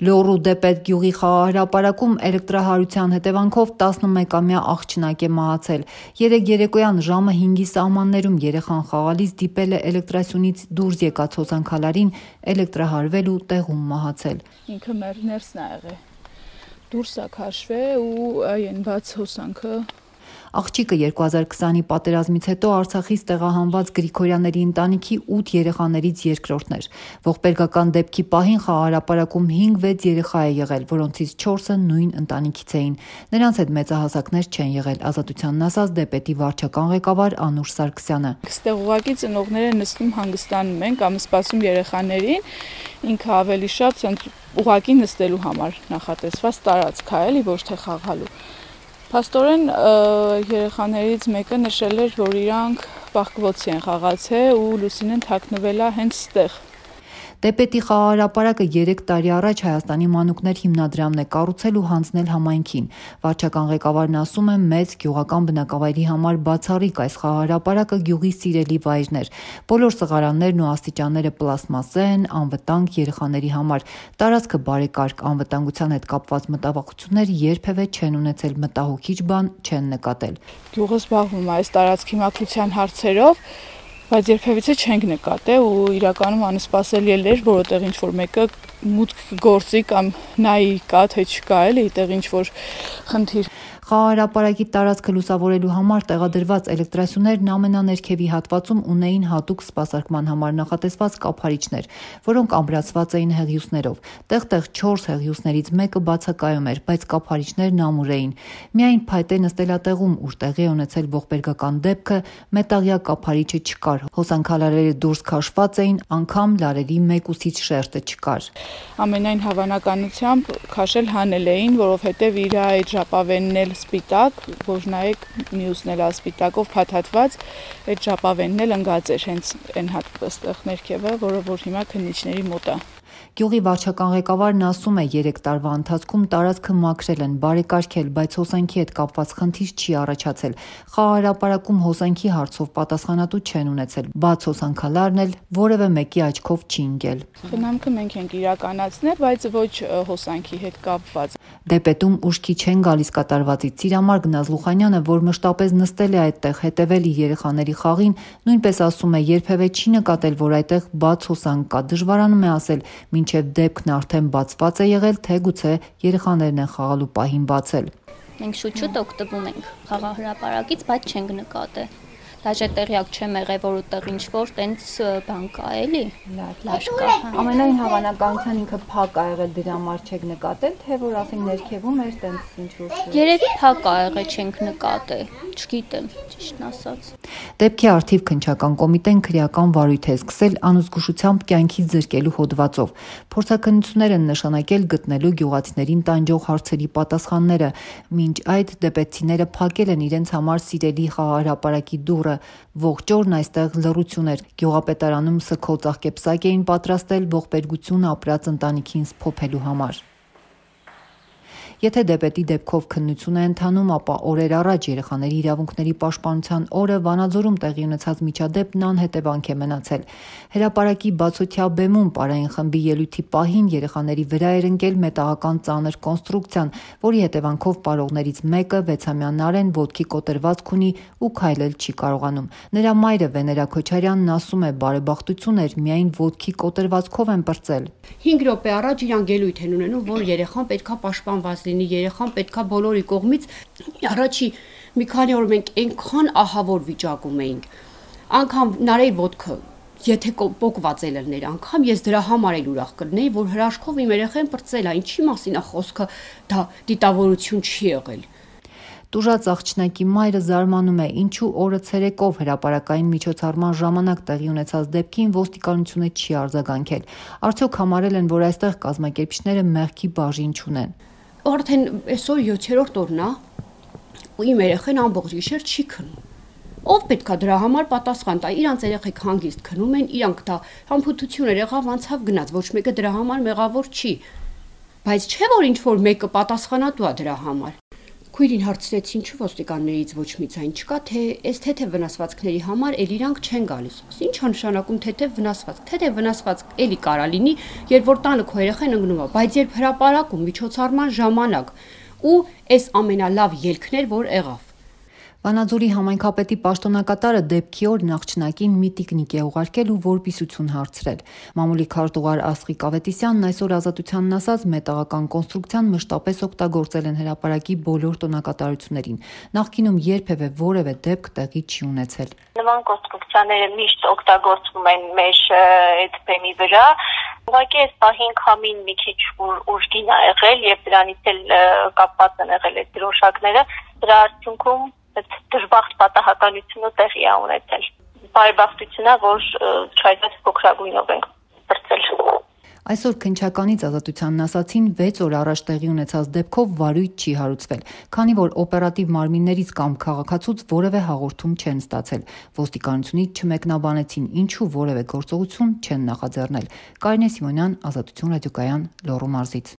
Լոռու Դեպետ գյուղի խաղահրապարակում էլեկտրահարության հետևանքով 11-ամյա աղջնակ է մահացել։ Երեկ երեկոյան ժամը 5-ի սահմաններում երեխան խաղալիս դիպել է էլեկտրասյունից դուրս եկած հոսանքալարին, էլեկտրահարվել ու տեղում մահացել։ Ինքը մեր ներսն ա եղել։ Դուրս ա քաշվել ու այն բաց հոսանքը։ Աղջիկը 2020-ի պատերազմից հետո Արցախից տեղահանված Գրիգորյանների ընտանիքի 8 երեխաներից երկրորդն էր։ Ողբերգական դեպքի պահին խաղահրապարակում 5-6 երեխա է եղել, որոնցից 4-ը նույն ընտանիքից էին։ Նրանց հետ մեծահասակներ չեն եղել, Ազատությանն ասաց Դեպետի վարչական ղեկավար Անուշ Սարգսյանը։ Այստեղ ուղղակի ծնողները նստում հանգստանում են կամ սպասում երեխաներին, ինքը ավելի շատ ուղղակի նստելու համար նախատեսված տարածք է, էլի, ոչ թե խաղալու։ Փաստորեն երեխաներից մեկը նշել էր, որ իրանք բախկվոցի են խաղացել ու Լուսինեն թաքնվել է հենց ստեղ։ Դեպետի խաղահրապարակը 3 տարի առաջ Հայաստանի մանուկներ հիմնադրամն է կառուցել ու հանձնել համայնքին։ Վարչական ղեկավարն ասում է, մեծ գյուղական բնակավայրի համար բացառիկ այս խաղահրապարակը գյուղի սիրելի վայրն էր։ Բոլոր սղարաններն ու աստիճանները պլաստմասե են, անվտանգ երեխաների համար։ Տարածքը բարեկարգ, անվտանգության հետ կապված մտավախություններ երբևէ չեն ունեցել, մտահոգիչ բան չեն նկատել։ Գյուղը զբաղվում է այս տարածքի մաքրության հարցերով, բայց երբևիցե չենք նկատել ու իրականում անսպասելի էր, որովհետև ինչ-որ մեկը մուտք գործի կամ նայի կա, թե չկա, էլի, այդտեղ ինչ-որ խնդիր։ Խաղահրապարակի տարածքը լուսավորելու համար տեղադրված էլեկտրասյուներն ամենաներքևի հատվածում ունեին հատուկ սպասարկման համար նախատեսված կափարիչներ, որոնք ամրացված էին հեղիուսներով։ Տեղ-տեղ 4 հեղիուսներից մեկը բացակայում էր, բայց կափարիչներն ամուր էին։ Միայն փայտե նստելատեղում, ուր տեղի է ունեցել ողբերգական դեպքը, մետաղյա կափարիչը չկար, հոսանքալարերը դուրս քաշված էին, անգամ լարերի մեկուսից շերտը չկար։ Ամենայն հավանականությամբ քաշել հանել էին, որովհետև իր այդ ժապավենն էլ սպիտակ, որ նայեք մյուսն էլ ասպիտակով փաթաթված, այդ ժապավենն էլ ընկած էր հենց այն հատվածտեղ ներքևը, որը որ հիմա քննիչների մոտ է։ Գյուղի վարչական ղեկավարն ասում է, 3 տարվա ընթացքում տարածքը մաքրել են, բարեկարգել, բայց հոսանքի հետ կապված խնդիր չի առաջացել։ Խաղահրապարակում հոսանքի հարցով պատասխանատու չեն ունեցել, բաց հոսանքալարն էլ որևէ մեկի աչքով չի ընկել։ Խնամքը մենք ենք իրականացնել, բայց ոչ հոսանքի հետ կապված։ Դեպետում ուշքի չեն գալիս կատարվածից Ծիրամարգ Նազլուխանյանը, որ մշտապես նստել է այդտեղ, հետևել իր երեխաների խաղին, նույնպես ասում է, երբևէ չի նկատել, որ այդտեղ բաց հոսանք կա, դժվարանում է ասել, մինչև դեպքն արդեն բացված է եղել, թե գուցե երեխաներն են խաղալու պահին բացել։ Մենք շուտ օգտվում ենք խաղահրապարակից, բայց չենք նկատել։ Դաժե տեղյակ չեմ եղել, որ ուտեղ ինչ-որ տենց բան կա, էլի, լաշ կա։ Ամենայն հավանականության ինքը փակ ա եղել, դրա համար չեք նկատել, թե որ ասենք ներքևում էր տենց ինչ-որ։ Երևի փակ ա եղել, չենք նկատել, չգիտեմ, ճիշտն ասած։ Դեպքի արդիվ քննչական կոմիտեն քրեական վարույթ է սկսել անզգուշությամբ կյանքից զրկելու հոդվածով։ Փորձաքննություններ են նշանակել գտնելու գյուղացիներին տանջող հարցերի պատասխանները։ Մինչ այդ դեպեցիները փակել են իրենց համար սիրելի խաղահրապարակի դուռը։ Ողջ օրն այստեղ լռություն էր։ Գյուղապետարանում սգո ծաղկեպսակ էին պատրաստել ողբերգություն ապրած ընտանիքին սփոփելու համար։ Եթե դեպետի դեպքով քննություն է ընթանում, ապա օրեր առաջ երեխաների իրավունքների պաշտպանության օրը Վանաձորում տեղի ունեցած միջադեպն անհետևանք է մնացել։ Հրապարակի բացօթյա բեմում պարային խմբի ելույթի պահին երեխաների վրա էր ընկել մետաղական ծանր կոնստրուկցիան, որի հետևանքով պարողներից մեկը 6-ամյա Նարեն ոտքի կոտրվածք ունի ու քայլել չի կարողանում։ Նրա մայրը Վեներա Քոչարյանն ասում է, բարեբախտություն էր, միայն ոտքի կոտրվածքով են պրծել։ 5 րոպե առաջ իրանք ելույթ են ունենում, որ երեխան պետքա պաշտպանված լինի, երեխան պետքա բոլորի կողմից առաջի մի քանի օր մենք այնքան ահավոր վիճակում էինք, անգամ Նարեի ոտքը եթե պոկված է լներ, անգամ ես դրա համար էլ ուրախ կլինեի, որ հրաշքով իմ երեխան պրծել է, ինչի մասին է խոսքը, դա դիտավորություն չի եղել։ Տուժած աղջնակի մայրը զարմանում է, ինչու օրը ցերեկով հրապարակային միջոցառման ժամանակ տեղի ունեցած դեպքին ոստիկանությունը չի արձագանքել։ Արդյոք համարել են, որ այստեղ կազմակերպիչները մեղքի բաժին չունեն։ Արդեն այսօր 7-րդ օրն է, ու իմ երեխան ամբողջ գիշեր չի քնում։ Ով պետքա դրա համար պատասխան տա, իրանց երեխեք հանգիստ քնում են, իրանք դա համբութություն եղավ, անցավ գնաց, ոչ մեկը դրա համար մեղավոր չի։ Բայց չէ որ ինչ որ մեկը պատասխանատու է դրա համար։ Քույրին հարցրեց, ինչու ոստիկաններից ոչ մի ձայն չկա, թե այս թեթև վնասվածքների համար էլ իրանք չեն գալիս։ Ինչ է նշանակում թեթև վնասվածք։ Թեթև վնասվածք էլի կարա լինի, երբ որ տանը քո երեխան ընկնում է, բայց երբ հրապարակում միջոցառման ժամանակ ու այս ամենալավ ելքն էր, որ եղավ։ Վանաձորի համայնքապետի պաշտոնակատարը դեպքի օր նախճնակին մի տիկնիկ է ուղարկել ու որպիսություն հարցրել։ Մամուլի քարտուղար Աստղիկ Ավետիսյանն այսօր Ազատությանն ասաց, մետաղական կոնստրուկցիան մշտապես օգտագործել են հրապարակի բոլոր տոնակատարություններին։ Նախկինում երբևէ որևէ դեպք տեղի չի ունեցել։ Նման կոնստրուկցիաները միշտ օգտագործվում են մեր այդ բեմի վրա։ Ուղղակի այս պահին քամին մի քիչ ուժգին է եղել եւ դրանից էլ կապված են եղել այդ դրոշակները։ Դրա արդյունքում այդ դժբախտ պատահականությունը տեղի է ունեցել։ Բարեբախտություն է, որ չայդպես փոքրագույնով ենք բրծել։ Այսօր քննչականից Ազատությանն ասացին 6 օր առաջ տեղի ունեցած դեպքով վարույթ չի հարուցվել, քանի որ օպերատիվ մարմիններից կամ քաղաքացուց որևէ հաղորդում չեն ստացել։ Ոստիկանությունից չմեկնաբանեցին, ինչու որևէ գործողություն չեն նախաձեռնել։ Կարինե Սիմոնյան, Ազատություն ռադիոկայան, Լոռու մարզից։